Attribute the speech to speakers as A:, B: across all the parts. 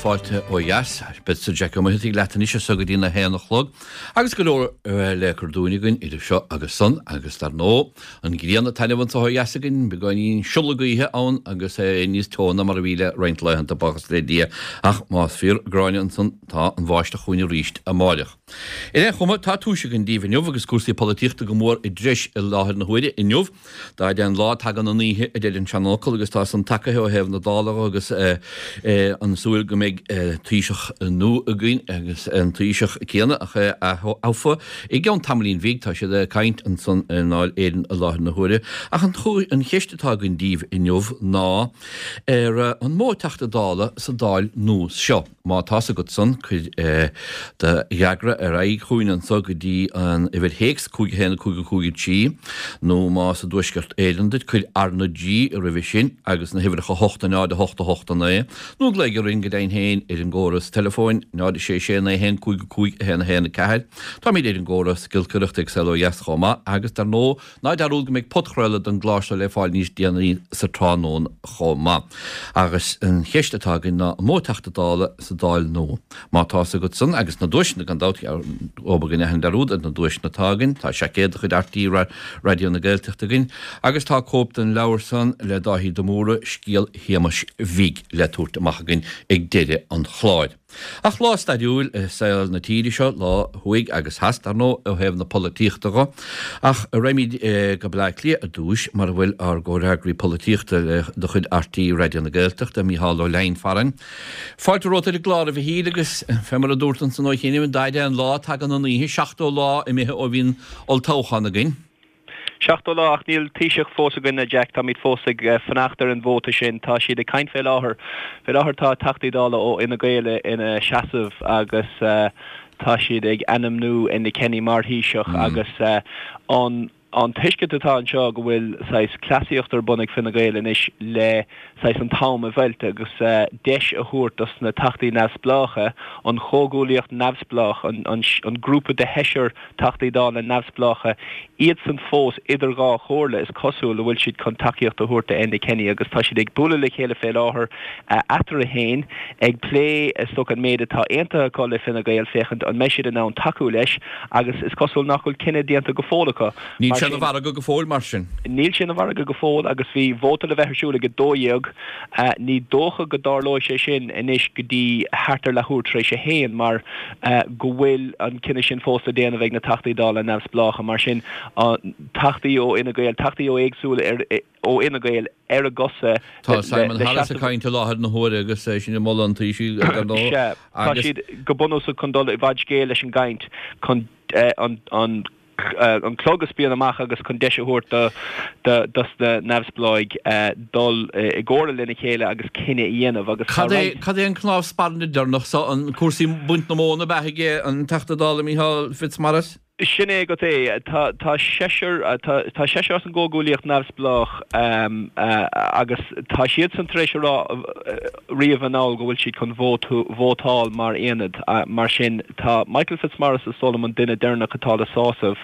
A: Fáilte ó dheas. Beadsa Jack Ó Muircheartaigh leat anois as so go dtí na haon a chlog agus go leor le cur dúinn againn idir seo agus san agus dar ndóigh an ghrian ag taitneamh anso ó dheas againn, beagáinín siolladh gaoithe ann agus é níos teo ná mar a bhí le roinnt laethanta, buíochas le Dia, ach más fíor Gráinne ansan tá an bháisteach chugainn arís amáireach. Ar aon chuma, tá túis againn daoibh inniu agus cúrsaí polaitíochta go mór i dtreis i láthair na huaire inniu. Dá fhaide an lá tagann an oíche, a deir an seanfhocal, agus tá san tagaithe ó thaobh na Dála dhe agus an súil go mbeidh Taoiseach nua againn agus an Taoiseach céanna ach é aththofa i gceann tamaillín bhig. Tá siad ag caint ansan i nDáil Éireann i láthair na huaire. Ach an cheist atá againn daoibh inniu ná ar an mó Teachta Dála sa Dáil nua seo? Má tá's agat san, cuir do fhreagra ar aghaidh chugainn anso go dtí an uimhir théacs, 5 1 5 5 3, nó más i dTuaisceart Éireann duit, cuir R na G roimhe sin agus na huimhreacha 8 0 8 8 9, nó glaoigh orainn go deimhin féin ar an gcóras teileafóin, 0 6 6 9 1 5 5 1 1 4. Táimid ar an gcóras giolcaireachta ag Saol Ó Dheas chomh maith agus, dar ndóigh, Ná dearúd go mbeidh podchraoladh den gclár seo le fáil níos déanaí sa tráthnóna chomh maith. Agus an cheist atá againn ná an mó Teachta Dála sa Dáil nua? Má tá's agat san, agus na duaiseanna gan dabht, obair go ndéanfainn dearúd ar na duaiseanna atá againn, tá seaicéad de chuid RTÉ Raidió na Gaeltachta againn agus tá cóip den leabhar san le Dáithí de Mórdha, Scéal Shéamais Bhig le tabhairt amach againn ag deireadh an chláir. Ach lá stairiúil i saol na tíre seo, lá thuaidh agus theas, dar ndóigh, ó thaobh na polaitíochta dho. Ach raghaimid go Bleá Cliath ar dtúis, mar a bhfuil ár gcomhfhreagraí polaitíochta de chuid RTÉ Raidió na Gaeltachta, Mícheál Ó Leidhin farainn. Fáilte romhat ar an gclár, a Mhichíl, agus fé mar a dúrt ansan ó chianaibh, dá fhaide an lá, tagann an oíche, 70 lá imithe ó bhí an olltoghchán againn.
B: 70 lá ach níl Taoiseach fós againn, a Jack. Táimid fós ag fanacht ar an vóta sin. Tá siad ag caint fé láthair. Fé láthair tá Teachtaí Dála ó Fhine Gael ina seasamh agus tá siad ag ainmniú Enda Kenny mar Thaoiseach agus an an tuiscint atá anseo go bhfuil saghas cleasaíocht ar bun ag Fine Gael anois le saghas an t-am a mheilt agus deis a thabhairt dos na Teachtaí Neamhspleácha, an chomhghuaillíocht neamhspleách, an grúpa de sheisear Teachtaí Dála neamhspleácha, iadsan fós idir dhá chomhairle, is cosúil, an bhfuil siad chun tacaíocht a thabhairt do Enda Kenny agus tá siad ag bualadh le chéile fé láthair eatarthu féin ag plé is dócha an méid atá aontaithe acu le Fine Gael féachaint an mbeidh siad in ann tacú leis agus is cosúil nach bhfuil cinneadh déanta go fóill acu.
A: Níl sé ina mhargadh go fóill mar sin.
B: Níl sé ina mhargadh go fóill agus bhí vóta le bheith ar siúl ag 12. Ní dócha go dtarlóidh sé sin anois go dtí thart ar leathuair tar éis a haon mar go bhfuil an cinneadh sin fós le déanamh ag na Teachtaí Dála neamhspleácha. Mar sin, Teachtaí ó Fhine Gael, Teachtaí ó éagsúla ó Fhine Gael ar a gcosa
A: Tá Simon Harris ag caint i láthair na huaire agus é sin ag moladh an Taoisigh, dar
B: ndóigh. Sea, tá siad go bunúsach chun dul i bhfad scéil leis an gcaint chun an an clog a spíonadh amach agus chun deis a thabhairt do dos na neamhspleáigh dul i gcomhairle lena chéile agus cinneadh a dhéanamh agus tá
A: Cad é cad é an cnámh spairne deireanach so, an cúrsaí baint na móna ab ea ag an Teachta Dála Micheál Fitzmaurice?
B: Sin é agat é. Tá tá seisear tá tá seisear as an gComhghuaillíocht Neamhspleách agus tá siadsan tar éis a rá riamh anall go bhfuil siad chun vótáil mar aonad. Mar sin, tá Michael Fitzmaurice is dóigh liom an duine deireanach atá le sásamh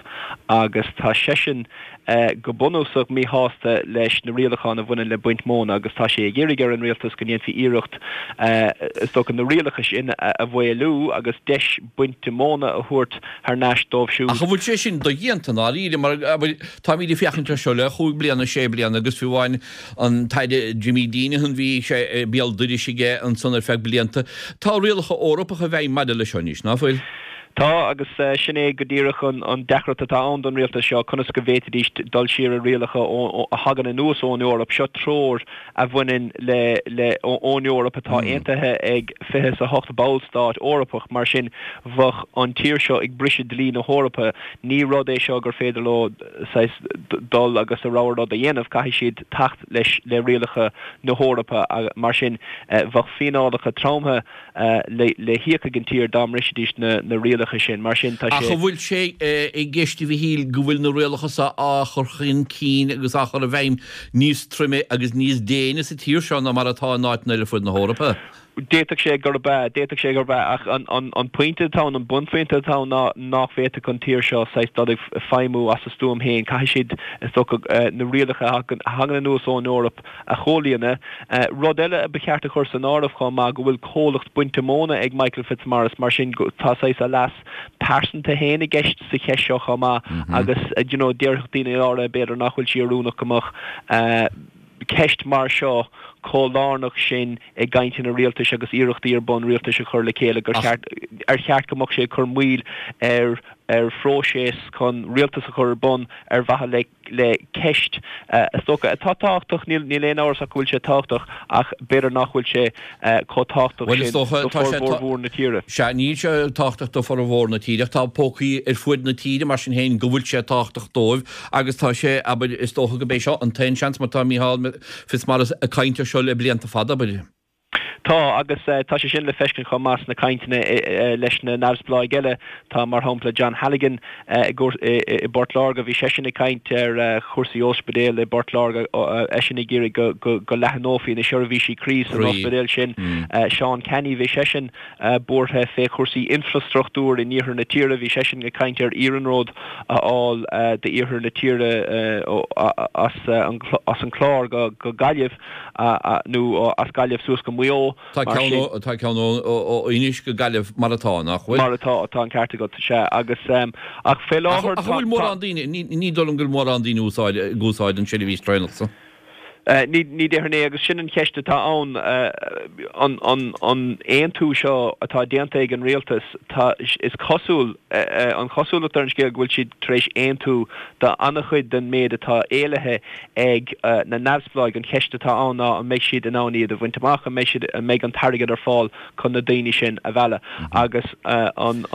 B: agus tá seisean go bunúsach míshásta leis na rialacháin a bhaineann le baint móna agus tá sé ag iarraidh ar an rialtas go ndéanfaí iarracht is dócha na rialacha sin a mhaolú agus deis bainte móna a thabhairt thar n-ais dóibh siúd.
A: Ach an bhfuil sé sin dodhéanta i ndáiríre mar táimid ag féachaint air seo le chúig bliana, sé bliana agus fiú amháin An tAire Jimmy Deenihan, bhí sé béal dorais aige ansan ar feadh blianta. Tá rialacha Eorpacha i bhfeidhm maidir leis seo anois, ná fuil?
B: Tá, agus sin é go díreach an deacracht atá ann don rialtas seo, conas go bhféadfaidís dul siar ar rialacha a thagann anuas ón Eoraip. Seo treoir a bhaineann le, le, ón Eoraip atá aontaithe ag 28 ballstát Eorpach, mar sin bheadh an tír seo ag briseadh dlí na hEorpa. Ní rud é seo gur féidir leo. saghas dul agus a rogha rud a dhéanamh, caithfidh siad teacht leis le rialacha na hEorpa. Mar sin, bheadh fíneálacha troma le híoc ag an tír dá mbrisfidís na rialacha sin. Mar sin, tá
A: sé. Ach an bhfuil sé i gceist, a Mhichíl, go bhfuil na rialacha seo á chur chun cinn agus á chur i bhfeidhm níos troime agus níos déine sa tír seo ná mar atá in áiteanna eile ar fud na hEorpa?
B: D'fhéadfadh sé gurb ea, d'fhéadfadh sé gurb ea, ach an pointe atá ann, an bunphointe atá ann ná nach bhféadfadh an tír seo saghas dul ag feidhmiú as a stuaim féin. Caithfidh siad, is dócha, na rialacha a thagann anuas ón Eoraip a chomhlíonadh. Rud eile a ba cheart a chur san áireamh chomh maith go bhfuil comhlacht bainte móna ag Michael Fitzmaurice, mar sin tá saghas a leas pearsanta féin i gceist sa cheist seo chomh maith agus you know déarfadh daoine áirithe b'fhéidir nach bhfuil sé oiriúnach go mbeadh ceist mar seo chomh lárnach sin i gcainteanna rialtais agus iarrachtaí ar bun rialtais a chur le chéile gur cheart, ar cheart go mbeadh sé ag cur moill ar ar phróiseas chun rialtas a chur ar bun ar mhaithe le le ceist, is dócha, atá tábhachtach, níl níl aon amhras ach go bhfuil sé tábhachtach ach b'fhéidir nach bhfuil sé chomh tábhachtach
A: Bhuel, is
B: sin
A: dócha,
B: do
A: tá sé,
B: formhór mhór na tíre.
A: Sea, níl sé tábhachtach do formhór na tíre ach tá pócaí ar fuaid na tíre mar sin féin go bhfuil sé tábhachtach dóibh Agus tá sé, abair, is dócha go b'é seo an t-aon seans mar tá Micheál Fitzmaurice ag caint air seo le blianta fada, abair.
B: Tá, agus tá sé sin le feiscint chomh maith sna cainteanna leis na neamhspleáigh eile. Tá, mar shampla, John Halligan i bPort Láirge, bhí seisean ag caint ar chúrsaí ospidéil i bPort Láirge, eisean ag iarraidh go leathnófaí na seirbhísí croí san ospidéal sin. Seán Canney, bhí seisean buartha fé chúrsaí infrastruchtúir in iarthar na tíre. Bhí seisean ag caint ar iarnród a fháil d'iarthar na tíre as an Chlár go Gaillimh nó as Gaillimh suas go Maigh Eo.
A: Tá ceann tá ceann ó Inis go Gaillimh mar atá, nach bhfuil?
B: Mar atá, tá an ceart agat, sea. Agus ach fé láthair
A: tá. Ach an bhfuil mórán daoine, ní dóigh liom go bhfuil mórán daoine ag úsáid an seirbhís traenach san.
B: Ní déarfainn é, agus sin an cheist atá ann, an aontú seo atá déanta ag an rialtas, tá, is cosúil, an chosúlacht ar an scéal go bhfuil siad tar éis aontú do an-chuid den méid atá éilithe ag na neamhspleáigh. An cheist atá ann ná an mbeidh siad in ann iad a bhaint amach, an mbeidh siad, an mbeidh an t-airgead ar fáil chun na daoine sin a mhealladh. Agus an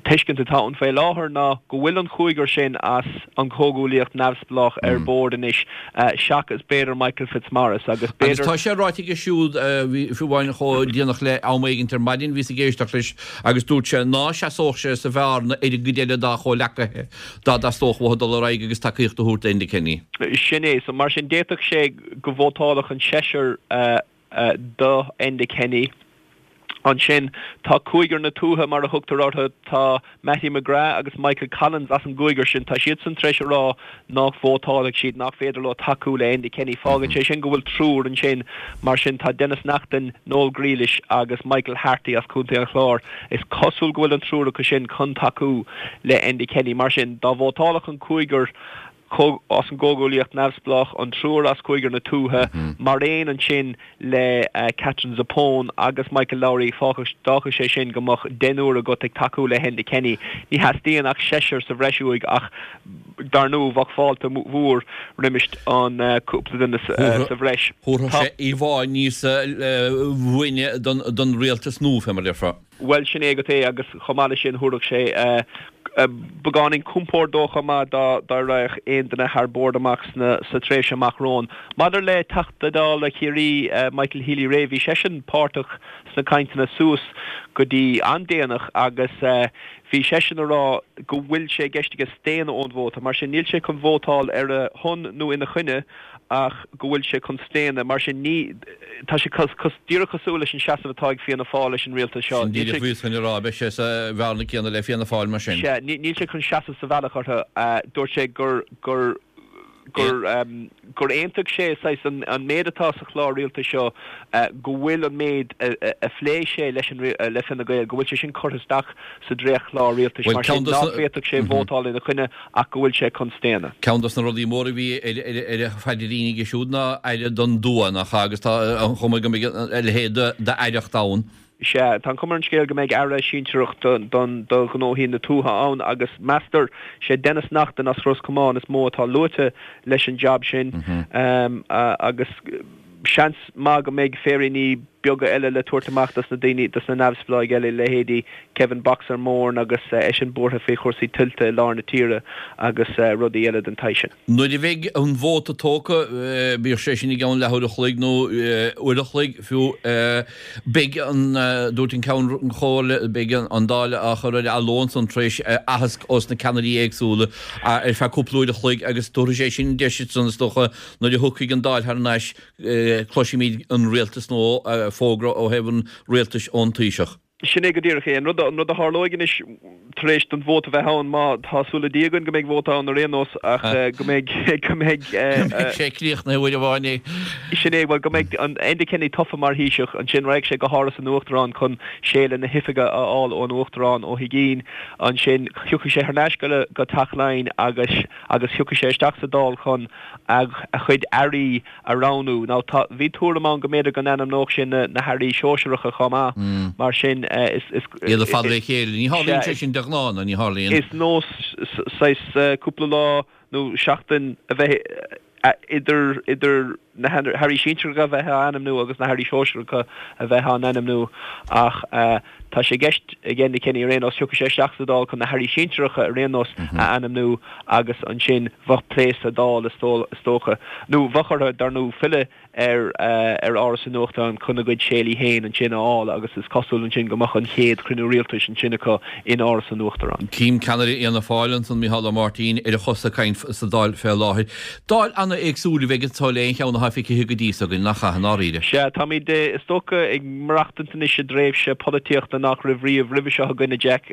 B: tuiscint atá ann faoi láthair ná go bhfuil an cúigear sin as an Chomhghuaillíocht Neamhspleách ar bord anois seachas b'fhéidir Michael Fitzmaurice agus
A: b'fhéidir. Agus tá sé ráite aige siúd, fiú amháin chomh déanach le am éigint ar maidin, bhíos ag éisteacht leis agus dúirt sé ná seasódh sé sa bhearna ar an gcuid eile dá chomhleacaithe dá dteastódh uathu dul ar aghaidh agus tacaíocht a thabhairt d'Enda Kenny.
B: Sin é. So mar sin d'fhéadfadh sé go vótálfadh an seisear do Enda Kenny. Ansin tá cúigear na tuaithe, mar a thugtar orthu. Tá Mattie McGrath agus Michael Collins as an gcúigear sin. Tá siadsan tar éis a rá nach vótálfaidh siad, nach féidir leo tacú le Enda Kenny. Fágann sé sin go bhfuil triúr ansin. Mar sin tá Denis Naughten, Noel Grealish agus Michael Harte as Contae an Chláir. Is cosúil go bhfuil an triúr acu sin chun tacú le Enda Kenny. Mar sin dá vótálfadh an cúigear as an gComhghuaillíocht Neamhspleách, an triúr as Cúigear na Tuaithe, mar aon ansin le Katherine Zappone agus Michael Lowry, d'fhágfadh sé sin go mbeadh deichniúr agat ag tacú le hEnda Kenny. Ní theastaíonn ach seisear sa bhreis uaidh ach dar ndóigh bheadh fáilte mhór roimis an cúpla duine sa bhreis.
A: Thabharfadh sé íomhá níos buaine don rialtas nua, fé mar a déarfá.
B: Bhuel, sin é agat é agus chomh maith leis sin thabharfadh sé beagáinín compoird dó chomh maith dá dá raghadh aon duine thar bord amach sna sa tréimhse amach romhainn. Maidir le Teachta Dála Chiarraí Michael Healy-Rae, bhí seisean páirteach sna cainteanna suas go dtí an-déanach agus bhí seisean a rá go bhfuil sé i gceist aige staonadh ón vóta. Mar sin níl sé chun vótáil ar a shon nó ina choinne ach go bhfuil sé chun staonadh. Mar sin, ní, tá sé díreach cosúil leis an seasamh atá ag Fianna Fáil leis an rialtas seo.
A: Sin díreach a bhíos chun a rá, beidh sé sa bhearna céanna le Fianna Fáil mar sin.
B: Sea, níl sé chun seasamh sa bhealach orthu. Dúirt sé gur, gur, gur, gur aontaigh sé, saghas, an, an méid atá sa chlár rialtais seo, go bhfuil an méid a phléigh sé leis an, le Fine Gael, go bhfuil sé sin curtha isteach sa dréachtchlár rialtais. Mar sin, nach bhféadfadh sé vótáil ina choinne ach go bhfuil sé chun staonadh.
A: Ceann dos na rudaí móra a bhí ar a phaidrín aige siúd ná aire don dtuath, nach ea? Agus tá an chuma go mbeidh a leithéid d'aireacht ann.
B: Sea, tá an chuma ar an scéal go mbeidh aire sinsearach do ghnóthaí na tuaithe ann agus meastar, sé Denis Naughten as Ros Comáin is mó atá luaite leis an jab sin agus seans maith go mbeidh féiríní beaga eile le tabhairt amach dos na daoine, dos na neamhspleáigh eile, leithéidí Kevin 'Boxer' Moran agus eisean buartha faoi chúrsaí tuilte i lár na tíre agus rudaí eile den tsaghas sin.
A: Nuair a bheidh an vóta tógtha, bíodh sé sin i gceann leathuair a chloig nó uair a chloig fiú, beidh an, dúirt an Ceann Comhairle, beidh an Dáil á chur ar athló ansan tar éis aitheasc ós na ceannairí éagsúla ar feadh cúpla uair a chloig agus tabharfaidh sé sin deis ansan is dócha nuair a thiocfaidh an Dáil thar n-ais Cloisfimid an rialtas nua. fógra ó thaobh an rialtais ón Taoiseach.
B: Sin é go díreach é. An rud, an rud a tharlóidh anois tar éis don vóta bheith ann, má tá súil le Dia againn go mbeidh vóta ann ar aon nós, ach go mbeidh, go mbeidh.
A: Go mbeidh sé críochnaithe uair amháin é.
B: Sin é, bhuel, go mbeidh an Enda Kenny tofa mar Thaoiseach, ansin raghaidh sé go hÁras an Uachtaráin chun séala na hoifige a fháil ón Uachtarán Ó hUigínn, ansin thiocfaidh sé thar n-ais go, go Teach Laighean agus, agus thiocfaidh sé isteach sa Dáil chun a, a chuid airí a roghnú. Now tá, bhí tuairim ann go mb'fhéidir go n-ainmneodh sé na na hairí sóisearacha chomh maith, mar sin is, is.
A: Iad ar fad le chéile. Ní tharlaíonn sé sin de ghnáth, nó ní tharlaíonn?
B: Is nós saghas cúpla lá nó seachtain a bheith idir, idir na hairí sinsearacha a bheith á ainmniú agus na hairí sóisearacha a bheith á n-ainmniú ach Tá sé i gceist ag Enda Kenny ar aon nós, thiocfadh sé isteach sa Dáil chun na hairí sinsearacha ar aon nós a ainmniú agus ansin bheadh plé sa Dáil is dócha. Nó bheadh orthu, dar ndóigh, filleadh ar ar Áras an Uachtaráin chun a gcuid séalaí féin ansin a fháil agus is cosúil ansin go mbeadh an chéad chruinniú rialtais ansin acu in Áras an Uachtaráin.
A: Tchím ceannaire Fhianna Fáil ansan, Micheál Ó Máirtín, ar a chosa ag caint sa Dáil fé láthair. Dáil an-éagsúil a bheidh anso le aon cheann atá feicthe go dtí so againn, nach ea, i ndáiríre?
B: Sea, táimid, is dócha, ag maireachtaint anois i dtréimhse polaitíochta nach raibh riamh roimhe seo againn, a Jack.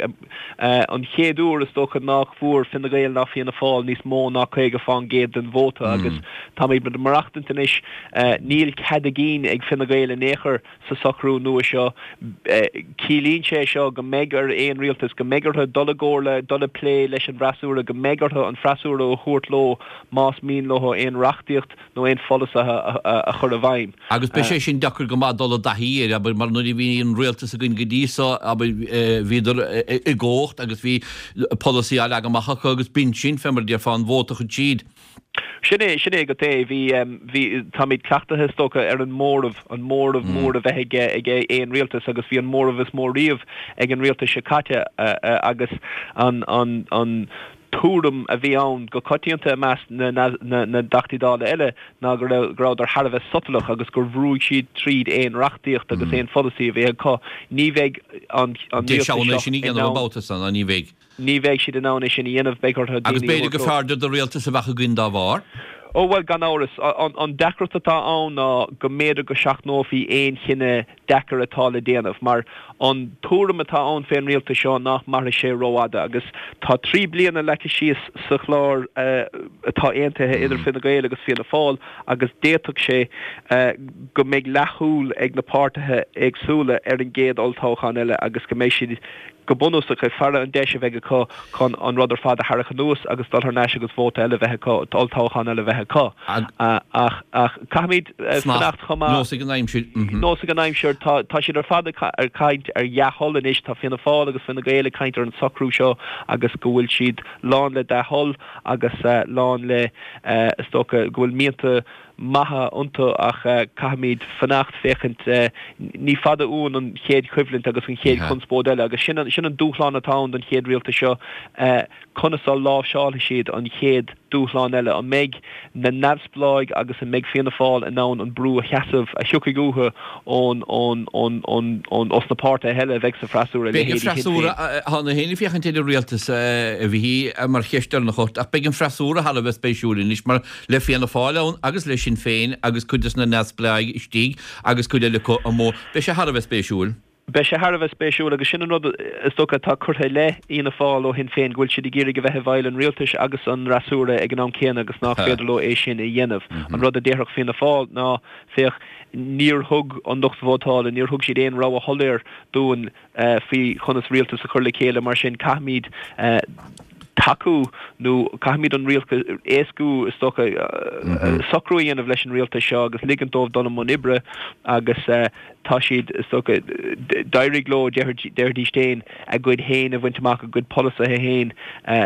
B: An chéad uair, is dócha, nách bhfuair Fine Gael ná Fianna Fáil níos mó ná 50% den vóta agus táimid ag maireachtaint anois, níl cead a gcinn ag Fine Gael in aon chor sa socrú nua seo. Ciallaíonn sé seo go mbeidh ar aon rialtas, go mbeidh orthu dul i gcomhairle, dul ag plé leis an bhfreasúra, go mbeidh orthu an freasúra a thabhairt leo más mian leo aon reachtaíocht nó aon pholasaithe a chur i bhfeidhm.
A: Agus beidh sé sin deacair go maith dul i dtaithí air, abair, mar nuair a bhí an rialtas againn go dtí so, abair, bhíodar i gcumhacht agus bhí polasaí á leagan amach acu agus b'in sin, fé mar a déarfá, an vóta a chuir siad.
B: Sin é, sin é go é. Bhí, bhí, táimid cleachtaithe is dócha ar an móramh, an móramh mór a bheith ag, ag aon rialtas agus bhí an móramh is mó riamh ag an rialtas seo caite agus an, an, an tuairim a bhí ann go coitianta i measc na, na, na dTeachtaí Dála eile ná go raibh, go rabhadar thar a bheith sotalach agus gur bhrúigh siad tríd aon reachtaíocht agus aon pholasaí a bhí acu. Ní bheidh an, an rialtas seo
A: in ann. Sin a dhéanamh an babhta san, ná ní bheidh.
B: Ní bheidh siad in ann é sin a dhéanamh, beidh orthu
A: daoine a thabhairt leo. Agus b'fhéidir gur fearrde do rialtas a bheadh againn dá bharr.
B: Ó bhuel, gan amhras. An deacracht atá ann ná go mb'fhéidir go seachnófaí aon chinneadh deacair atá le déanamh, mar an tuairim atá ann fén rialtas seo nach mairfidh sé rófhada. Agus tá 3 bliana leagtha síos sa chlár atá aontaithe idir Fine Gael agus Fianna Fáil agus d'fhéadfadh sé go mbeidh leathshúil ag na páirtithe éagsúla ar an gcéad olltoghchán eile agus go mbeidh siad go bunúsach, ag faire an deis a bheidh acu chun an rud ar fad a tharrac anuas agus dul thar n-ais agus vóta eile a bheith acu, olltoghchán eile a bheith acu. Ach, ach caithfimid fanacht chomh maith.
A: Nós ag an aimsir.
B: Nós ag an aimsir. Tá, tá siad ar fad ag caint ar dhea-thoil anois. Tá Fianna Fáil agus Fine Gael ag caint ar an socrú seo agus go bhfuil siad lán le dea-thoil agus lán le, is dócha, go bhfuil mianta maithe iontu ach caithfimid fanacht féachaint, ní fada uainn an chéad choimhlint agus an chéad chonspóid eile agus sin sin an dúshlán atá ann don chéad rialtas seo, conas a láimhseálfaidh siad an chéad dúshlán eile, an mbeidh na neamhspleáigh agus an mbeidh Fianna Fáil in ann an brú a sheasamh a thiocfaidh uathu ón ón ón ón ón os na páirtithe eile a bheidh sa
A: bhfreasúra, Beidh an leithéidí Shinn freasúra, Féin. Tá mé féin ag féachaint ar an rialtas a Mhichíl mar cheist deireanach ort ach beidh an freasúra thar a bheith spéisiúil anois mar Le Fianna Fáil ann agus le Sinn Féin agus cuid des na neamhspleáigh istigh agus cuid eile acu amuigh, beidh sé thar a bheith spéisiúil.
B: Beidh sé thar a bheith spéisiúil agus sin an rud is dócha atá curtha i leith Fhianna Fáil ó Shinn Féin, go bhfuil siad ag iarraidh a bheith i bhfeighil an rialtais agus an fhreasúra ag an am céanna agus nach féidir leo é sin a dhéanamh. An rud a déarfadh Fianna Fáil ná, féach, níor thug an lucht vótála, níor thug siad aon rogha shoiléir dúinn faoi chonas rialtas a chur le chéile, mar sin caithfimid tacú nó caithfimid an rialtas, éascú is dócha, socrú a dhéanamh leis an rialtas seo agus ligint dóibh dul i mbun oibre agus tá siad, is dócha, d'éirigh leo, déarfaidís féin, a gcuid féin a bhaint amach, a gcuid polasaithe féin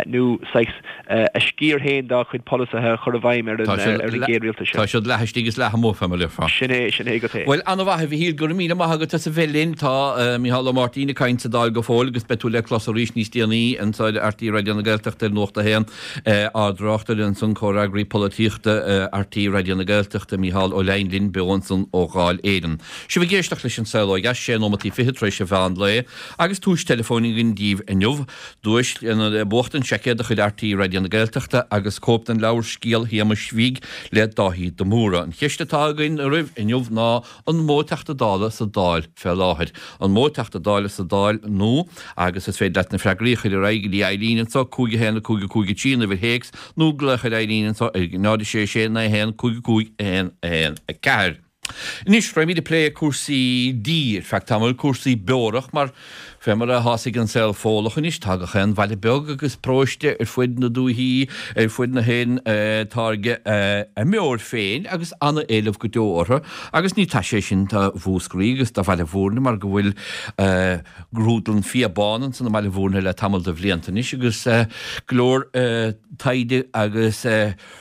B: nó saghas a sciar féin dá chuid polasaithe a chur i bhfeidhm ar an gcéad rialtas
A: seo. Tá siad leath istigh is leath amuigh, fé mar a déarfá.
B: Sin é, sin é go é.
A: Bhuel, an-mhaith, a Mhichíl, go raibh míle maith agat as a bheith linn. Tá Micheál Ó Máirtín ag caint sa Dáil go fóill agus beidh tú le clos arís níos déanaí anseo ar RTÉ Raidió na Gaeltachta. Gaeltachta ar Nuacht a hAon, ár dtráchtaire ansan, Comhfhreagraí Polaitíochta RTÉ Raidió na Gaeltachta, Mícheál Ó Leidhin linn beo ansan ó Dháil Éireann. Sibh ag éisteacht leis An Saol Ó Dheas, sé nóimeataí fichead tar éis an mheán lae, agus tomhais teileafóin againn díbh inniu. Duais le buachtan, seaicéad de chuid RTÉ Raidió na Gaeltachta agus cóip den leabhar Scéal Shéamais Bhig le Dáithí de Mórdha. An cheist atá againn oraibh inniu ná an mó Teachta Dála sa Dáil fé láthair? An mó Teachta Dála sa Dáil nó, agus is féidir leat na freagraí a chur ar aghaidh go dtí Eileen anseo, 5 1 5 5 3 an uimhir théacs, nó glaoch ar Eileen anseo ar 0 6 6 9 1 5 5 1 1 4. Anois, raghaimid ag plé cúrsaí dí ar feadh tamaill, cúrsaí beorach, mar fé mar atá's ag an saol Fódhlach anois, tá gach aon bhaile beag agus paróiste ar fuid na dúichí, ar fuid na hÉireann, ag táirgeadh a mbeoir féin agus an-éileamh go deo orthu. Agus ní taise é sin do Mhúscraí agus do Bhaile Bhúirne mar go bhfuil grúdlann fia bán ansan i mBaile Bhúirne le tamall de bhlianta anois agus go leor taighde agus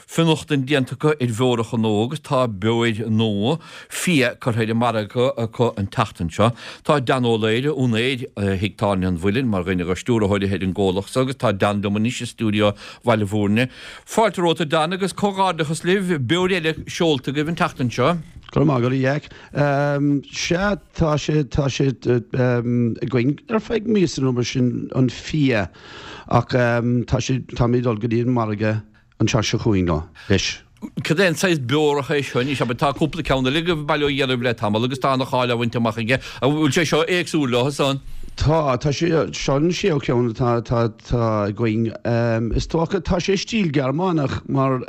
A: Fionnachtain déanta acu ar bheoracha nua agus tá beoir nua fia curtha ar an margadh acu an tseachtain seo. Tá Dan Ó Laoire, úinéir Thigh Tábhairne an Mhuilinn, mar dhuine de stiúrthóirí ar an gcomhlacht so agus tá Dan liom anois i stiúideo Bhaile Bhúirne. Fáilte romhat a Dan agus comhghairdeachas libh, beoir eile seolta agaibh an tseachtain seo.
C: Go raibh maith agat a Jeaic. Sea, tá sé, tá sé againn ar feadh míosa nó mar sin, an fia, ach tá sé, táimid ag dul go dtí an margadh an tseachtain seo chugainn leo, leis.
A: Cad é an saghas beorach é seo anois? Abair, tá cúpla ceann eile agaibh bail ó Dhia oraibh le tamall agus tá ana-cháil á bhaint amach aige. An bhfuil sé seo éagsúil leo san?
C: Tá, tá sé, seo an séú ceann atá, atá, atá againn. Is dócha, tá sé i stíl Gearmánach mar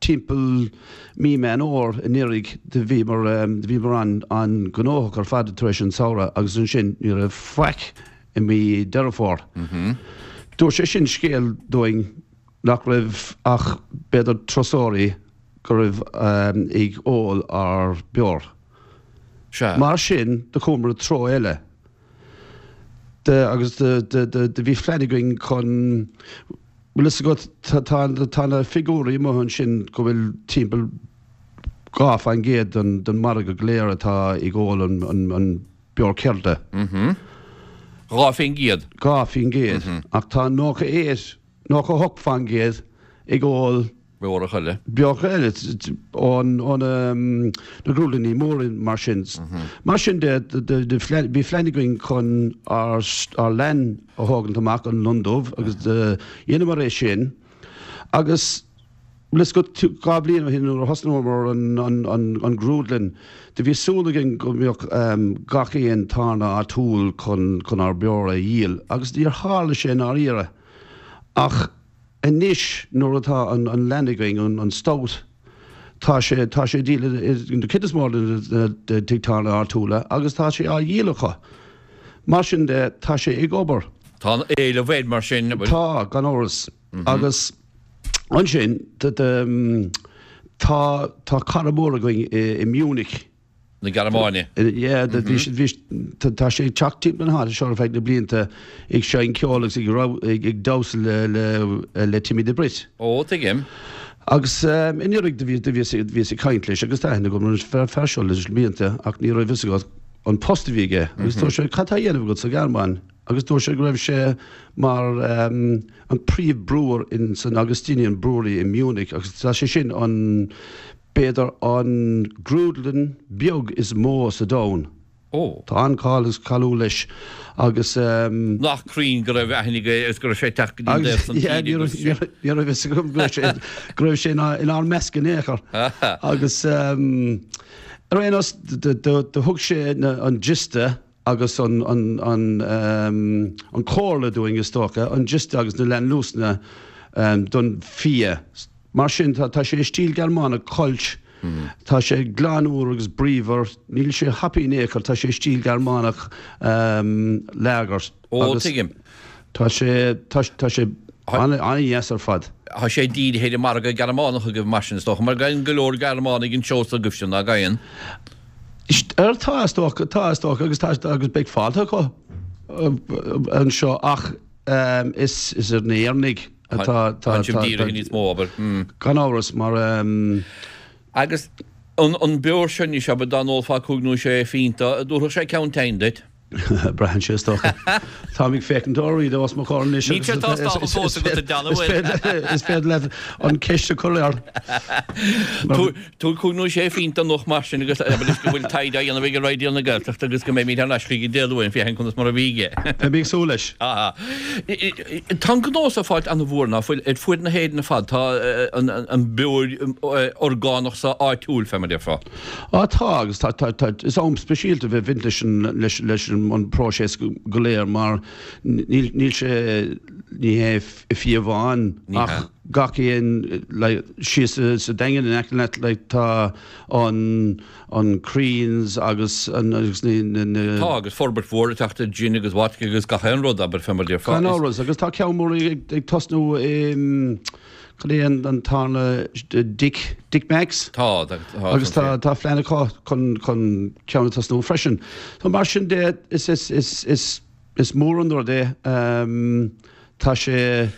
C: timpeall mí Meán Fhómhair anuraidh do bhíomar, do bhíomar an, an-ghnóthach ar fad tar éis an samhradh agus ansin ní raibh faic i mí Deireadh Fómhair. Dúirt sé sin scéal dúinn nach raibh ach b'fhéidir turasóirí go raibh ag ól ár beoir.
A: Sea.
C: Mar sin do chuamar i dtreo eile de agus do bhí phlean againn chun, bhfuil fhios agat, tá na figiúirí amuigh ansin go bhfuil timpeall 2% den margadh go léir atá ag ól an beoir ceirde.
A: 2%.
C: 2%. Ach tá 98, 98% ag ól.
A: Beorach eile.
C: Beorach eile ó na grúdlannaí móra mar sin. Mar sin de, bhí phlean againn chun ár leann a thógaint amach, an lon dubh, agus dheineamar é sin. Agus bhfuil fhios agat, 2 bhliain ó shin nuair a thosnaíomar an grúdlann, do bhí súil againn go mbeadh gach aon tábhairne áitiúil chun ár beoir a dhíol agus níor tharla sé i ndáiríre. Ach anois nuair atá an leann againn, an stout, tá sé, tá sé díol i na cuid is mó de na tigh tábhairne áitiúla agus tá sé á dhíol acu. Mar sin de, tá sé ag obair.
A: Tá an-éileamh air mar sin.
C: Tá, gan amhras. Agus ansin, tá, tá cara mór againn i Munich.
A: Na Gearmáine.
C: Yeah, bhí, bhí, tá sé ag teacht timpeall na háite seo ar feadh na blianta ag seinm ceoil agus ag, ag damhsa le, le, le Timmy the Brit.
A: Ó, tuigim.
C: Agus anuraidh do bhí, do bhíos, bhíos ag caint leis agus tá aithne agam ar an fear seo leis na blianta ach ní raibh fhios agat an post a bhí aige. Agus dúirt sé, cad tá á dhéanamh agat sa Ghearmáin? Agus dúirt sé go raibh sé mar an príomh-brewer in san Augustinian Brewery i Munich agus tá sé sin an, b'fhéidir an grúdlann beag is mó sa domhan.
A: Ó.
C: Tá an-cáil agus cáiliúil leis agus.
A: Nach cruinn go raibh aithne aige agus go raibh sé ag teacht go dtí an dtaobh san tíre agus
C: sin. Ní raibh fhios agam go raibh sé, go raibh sé inár measc in aon chor. Agus ar aon nós do thug sé an giosta agus an chomhairle dúinn, is dócha, an giosta agus na leannluasanna don fia. Mar sin, tá sé i stíl Gearmánach, Kölsch, tá sé glan úr agus bríomhar, níl sé hoppy in aon chor, tá sé i stíl Gearmánach lager.
A: Ó, tuigim.
C: Tá sé, tá sé an-dheas ar fad.
A: Tá sé dírithe ar an margadh Gearmánach agaibh mar sin, is dócha, mar gabhann go leor Gearmánaigh an seó s'agaibhse, ná gabhann?
C: Tá, is dócha, tá, is dócha, agus tá, agus beidh fáilte acu anseo ach is ar na hÉireannaigh atá,
A: tá, tá, dírithe níos mó, abair.
C: Gan amhras, mar.
A: Agus an beoir seo anois, abair, dá n-ólfá cúig nó sé phionta, an dtabharfadh sé ceann tinn duit?
C: Braitheann sé is dócha. Táim ag féachaint oraibh os mo chomhair anois
A: Níl sé tástáilte fós agat a John, an bhfuil?
C: Is féidir leat an ceist a chur air.
A: Tabhair cúig nó sé phingin anocht mar sin agus abair leis go bhfuil taighde á dhéanamh ag Raidió na Gaeltachta agus go mbeimid thar n-ais chuige Dé Luain féachaint conas mar a bhí aige.
C: Beidh mé ag súil leis.
A: Tá an gnó so ag fáilt an-mhór ná fuil ar fuaid na hÉireann ar fad. Tá an beoir orgánach so áitiúil fé mar a déarfá.
C: Á tá, agus tá, tá, tá, is am speisialta bheith bhaint leis an, leis, leis an próiseas go léir mar níl, níl sé, ní hé fia amháin ach gach aon, like, síos sa Daingean in aice leat, like, tá an, an Crean's agus an, agus na, na, na.
A: Tá, agus forbairt mhór ag teacht ar gin agus vodka agus gach aon rud, abair, fé mar a déarfá.
C: Gan amhras, agus tá ceann mór ag, ag tosnú i, Cad é an tarna Dick, Dick Mack's?
A: Tá, tá.
C: Agus tá, tá plean acu chun, chun ceann a tosnú freisin. So mar sin de, is, is, is, is, is mór an rud é. Tá sé.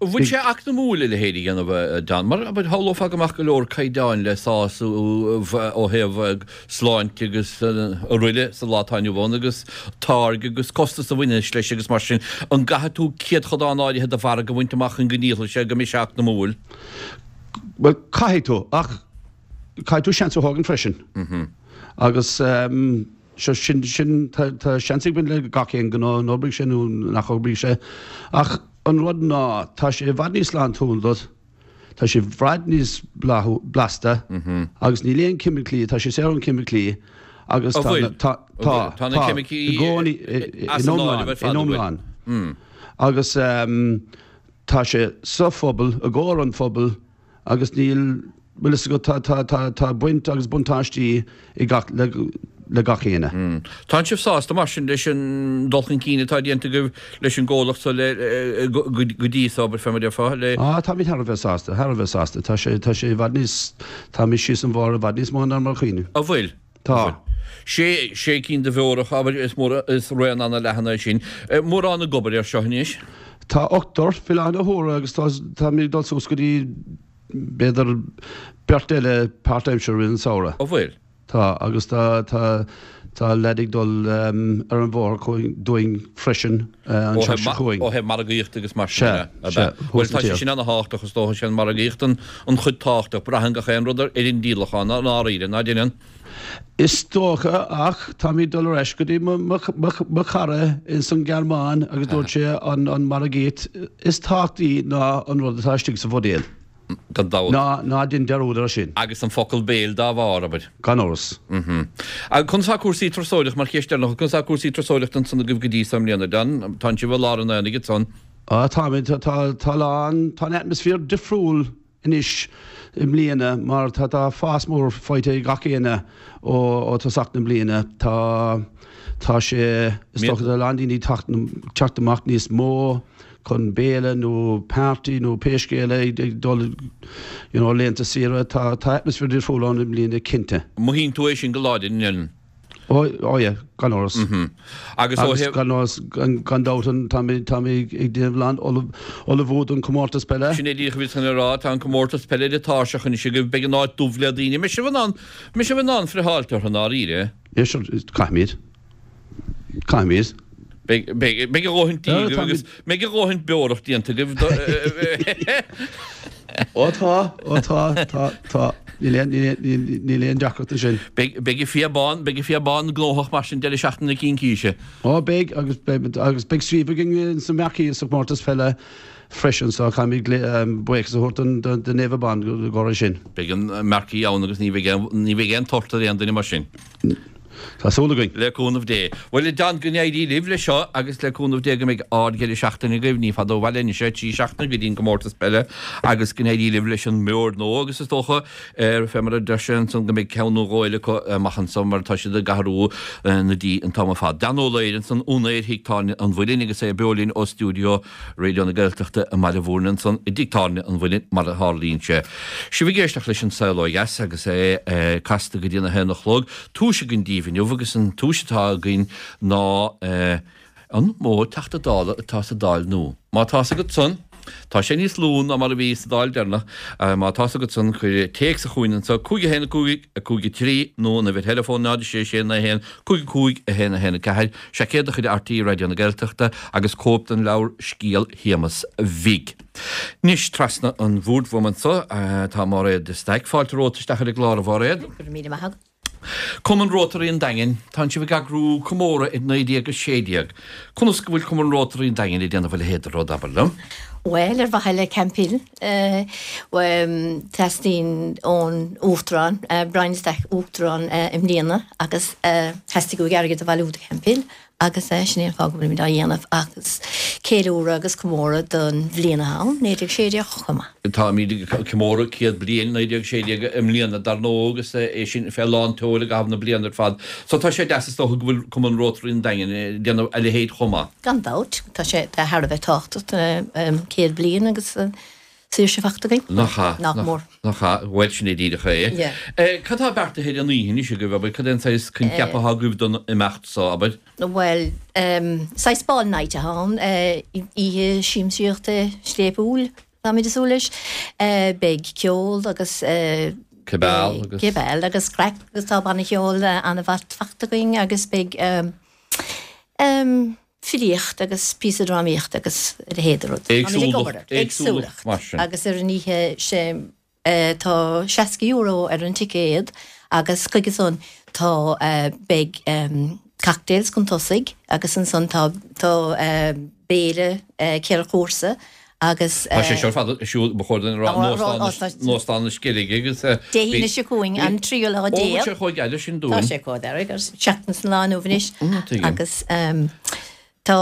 A: An bhfuil sé eacnamúil a leithéid a dhéanamh, a John? Mar, abair, shamhlófá go mbeadh go leor caighdeáin le sásamh ó thaobh sláinte agus araile sa lá atá inniu ann agus táirge agus costas a bhaineanns leis agus mar sin. An gcaithfidh tú céadchodán áirithe de mhargadh a bhaint amach chun go ndíolfaidh sé, go mbeidh sé eacnamúil?
C: Bhuel, caithfidh tú, ach caithfidh tú seans a thógaint freisin. Agus seo, sin, sin, tá, tá seans ag baint le gach aon ghnó, an oibreoidh sé nó nach oibreoidh sé. Ach an rud ná, tá sé i bhfad níos sláintiúil duit. Tá sé i bhfad níos blasta agus níl aon ceimiclí, tá sé saor ón ceimiclí agus
A: tá,
C: tá, tá,
A: tá na ceimicí
C: i gcónaí
A: as
C: in
A: an áireamh ar
C: iomlán,
A: fad,
C: in
A: an bhfuil?
C: iomlán. Agus tá sé sa phobal, i gcomhair an phobail agus níl, bhfuil fhios agat, tá, tá, tá, tá baint agus buntáistí i gach, le, le gach éinne.
A: Tánn sibh sásta mar sin leis an dul chun cinn atá déanta agaibh leis an gcomhlacht so le, go dtí so, abair, fé mar a déarfá,
C: le. Á, táimid thar a bheith sásta, thar a bheith sásta. Tá sé, tá sé i bhfad níos, táimid síos an bhóthar i bhfad níos mó ná mar a chuimhnigh.
A: An bhfuil?
C: Tá.
A: An bhfuil? Sé, sé cinn de bheoracha, abair, is mór, is raon ana-leathan é sin. Mórán ag obair air seo anois?
C: Tá ochtar faoi láthair na huaire agus tá, táimid ag dul suas go dtí, b'fhéidir, beirt eile páirtaimseartha i rith an samhradh.
A: An bhfuil?
C: Tá, agus tá, tá, tá leaid ag dul ar an bhóthar chugainn, dúinn freisin an
A: Ó
C: tseachtain
A: thaobh
C: seo chugainn.
A: ó thaobh margaíochta agus mar sin
C: Sea,
A: de, ab
C: sea,
A: ea?
C: thuas
A: Bhuel,
C: sa
A: tá sé
C: tír.
A: sin ana-thábhachtach, is dócha, sé an margaíocht an, an chuid tábhachtach. Braitheann gach aon rud ar, ar an díolachán, i ndáiríre, ná deineann?
C: Is dócha, ach táimid ag dul ar ais go dtí mo, mo, mo, mo chara ins an Ghearmáin agus dúirt sé an, an margaíocht is tábhachtaí ná an rud atá istigh sa bhuidéal.
A: Gan dabht.
C: Ná, ná dein dearúd air sin.
A: Agus an focal béil dá bharr, abair.
C: Gan amhras.
A: Agus conas tá cúrsaí turasóireachta, mar cheist deireanach, conas tá cúrsaí turasóireachta ansan agaibh go dtí so i mbliana, John? Tánn sibh i lár an aonaigh ansan.
C: Á, táimid, tá, tá, tá lán, tá an atmaisféar difriúil anois i mbliana mar tá, tá fás mór faighte ag gach éinne ó, ó tosach na bliana. Tá, tá sé, is dócha tá a lán daoine ag teacht, teacht amach níos mó. chun béile nó party nó pé scéal é ag dul you know laethanta saoire. Tá tá atmaisféar difriúil ann i mbliana cinnte.
A: Mothaíonn tú é sin go láidir, an ndeineann?
C: Ó ó yeah, gan amhras.
A: Agus ó
C: Agus
A: thaobh.
C: gan amhras gan gan dabht an tá mé tá mé ag déanamh lán ullamh ullmhú don comórtas peile.
A: Sin é díreach a bhíos chun a rá, tá an comórtas peile ar an tairseach anois agaibh, beidh an áit dubh le daoine. An mbeidh sibh in ann, an mbeidh sibh in ann friotháilt orthu i ndáiríre?
C: Yeah sure, caithfimid. Caithfimid.
A: Beidh a dhóthain dí agaibh agus beidh a dhóthain beorach déanta agaibh.
C: Ó tá, ó tá, tá, tá. Níl aon, níl aon deacracht ansin.
A: Beidh an fia bán, beidh an fia bán gnóthach mar sin deireadh seachtaine na Cincíse.
C: Ó beidh agus beidh agus beidh suíomh againn sa marquee sa chomórtas peile freisin so caithfimid buíochas a thabhairt don do Naomh Abán i gcomhair sin.
A: Beidh an marquee ann agus ní bheidh aon, ní bheidh aon tort ar aon duine mar sin.
C: Tá súil againn.
A: Le cúnamh Dé. Bhuel, a John, go n-éirí libh leis seo agus le cúnamh Dé go mbeidh ard-dheireadh seachtaine agaibh. Ní fada ó bhaile anois é, 3 seachtaine go dtí an gcomórtas peile agus go n-éirí libh leis an mbeoir nua agus is dócha, fé mar a deir sé ansan, go mbeidh ceann nó dhó eile acu amach anso mar tá siad ag athrú na dí an t-am ar fad. Dan Ó Laoire ansan, úinéir Thigh Tábhairne an Mhuilinn agus é beo linn ó stiúideo Raidió na Gaeltachta i mBaile Bhúirne ansan i dTigh Tábhairne an Mhuilinn mar a tharlaíonn sé. Sibh ag éisteacht leis An Saol Ó Dheas agus é casta go dtí a haon a chlog. Tomhais againn daoibh inniu agus an tomhas atá againn ná an mó Teachta Dála atá sa Dáil nua. Má tá's agat san. Tá sé níos lú ná mar a bhí sa Dáil deireanach. Má tá's agat san, cuir téacs chugainn anseo, 5 1 5 5 3, nó an uimhir theileafóin 0 6 6 9 1 5 5 1 1 4, seaicéad de chuid RTÉ Raidió na Gaeltachta agus cóip den leabhar Scéal Shéamais Bhig. Anois, trasna an bhoird uaim anseo, tá Máiréad de Staic. Fáilte romhat isteach ar an gclár, a Mháiréad.
D: Go raibh míle maith agat.
A: Cumann Rótaraí an Daingin, Tánn sibh ag eagrú comóradh ar 1916. Conas go bhfuil Cumann Rótaraí an Daingin ag déanamh a leithéid de rud, abair liom?
D: Bhuel, ar mhaithe le Camphill, teastaíonn ón Uachtarán, Brian de Staic, Uachtarán i mbliana agus theastaigh uaidh airgead a bhailiú do Camphill Agus sin é an fáth go bhfuilimid á dhéanamh agus ceiliúradh agus comóradh don bhliain atá ann, 1916, chomh maith.
A: Táimid ag comóradh 100 bliain 1916 i mbliana dar ndóigh agus é sin fé lán tseoil i gcaitheamh na bliana ar fad. So tá sé deas is dócha go bhfuil Cumann Rótaraí an Daingin ag déanamh a leithéid chomh maith.
D: Gan dabht, tá sé thar a bheith tábhachtach, 100 bliain agus saoirse fachta againn.
A: Nach ea?
D: Nach mór.
A: Nach ea? Bhuel, sin é díreach é.
D: Yeah.
A: Cad tá beartaithe ar an oíche anois agaibh, abair? Cad é an saghas coincheap atá agaibh don imeacht so, abair?
D: Bhuel, saghas ball night atá ann, oíche siamsaíochta scléipiúil, táimid ag súil leis. Beidh ceol agus.
A: Cibeal agus.
D: Cibeal agus craic agus tá banna ceoil an-mhaith fachta againn agus beidh. filíocht agus píosa drámaíochta agus a leithéid de rud.
A: Táimid ag obair air. Éagsúlacht, mar sin.
D: Agus ar an oíche sin tá €60 ar an ticéad agus chuige san tá beidh cocktails chun tosaigh agus ansan tá tá béile 4 chúrsa agus.
A: Tá sé seo ar fad ar siúl, ba chóir dúinn a rá, in Óstán na Sceilge agus.
D: Dé hAoine seo chugainn, an tríú lá
A: déag. Ó, bhfuil sé chomh geal sin dúinn?
D: Tá sé chomh gairid, agus seachtain sa lá inniu anois. Agus tá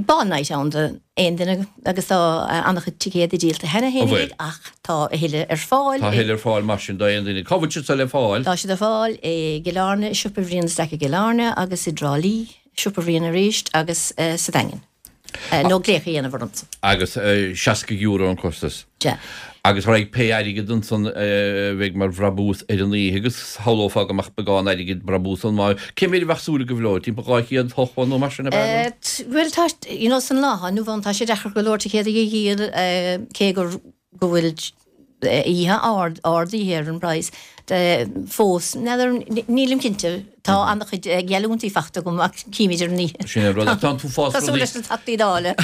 D: ball night ann do aon duine agus tá an-chuid ticéadaí díolta cheana féin ach tá a thuilleadh ar fáil.
A: Tá a thuilleadh ar fáil mar sin do aon duine. Cá bhfuil siad seo le fáil?
D: Tá siad ar fáil i gCill Airne, i Siopa Bhriain de Staic i gCill Airne agus i dTrá Lí, Siopa Bhriain arís agus sa Daingean. Nó glaoch a dhéanamh ormsa.
A: Agus €60 an costas.
D: Sea.
A: Agus raghaidh pé airgead ansan a bheidh mar bhrabús ar an oíche agus shamhlófá go mbeadh beagán airgid brabús ann má, cé mhéad a bheadh súil agaibh leo? Timpeall 200 shocra nó mar sin ab
D: ea? Bhuel tá, you know san lá atá inniu ann tá sé deacair go leor ticéadaí a dhíol cé gur, go bhfuil oíche ard, ardaithe ar an bpraghas fós. N'fheadar, nílim cinnte. Tá an-chuid geallúintí fachta agam ach címid ar an oíche.
A: Sin é an rud. Ach tá an t-uafás
D: rudaí. Cosúil leis na Teachtaí Dála.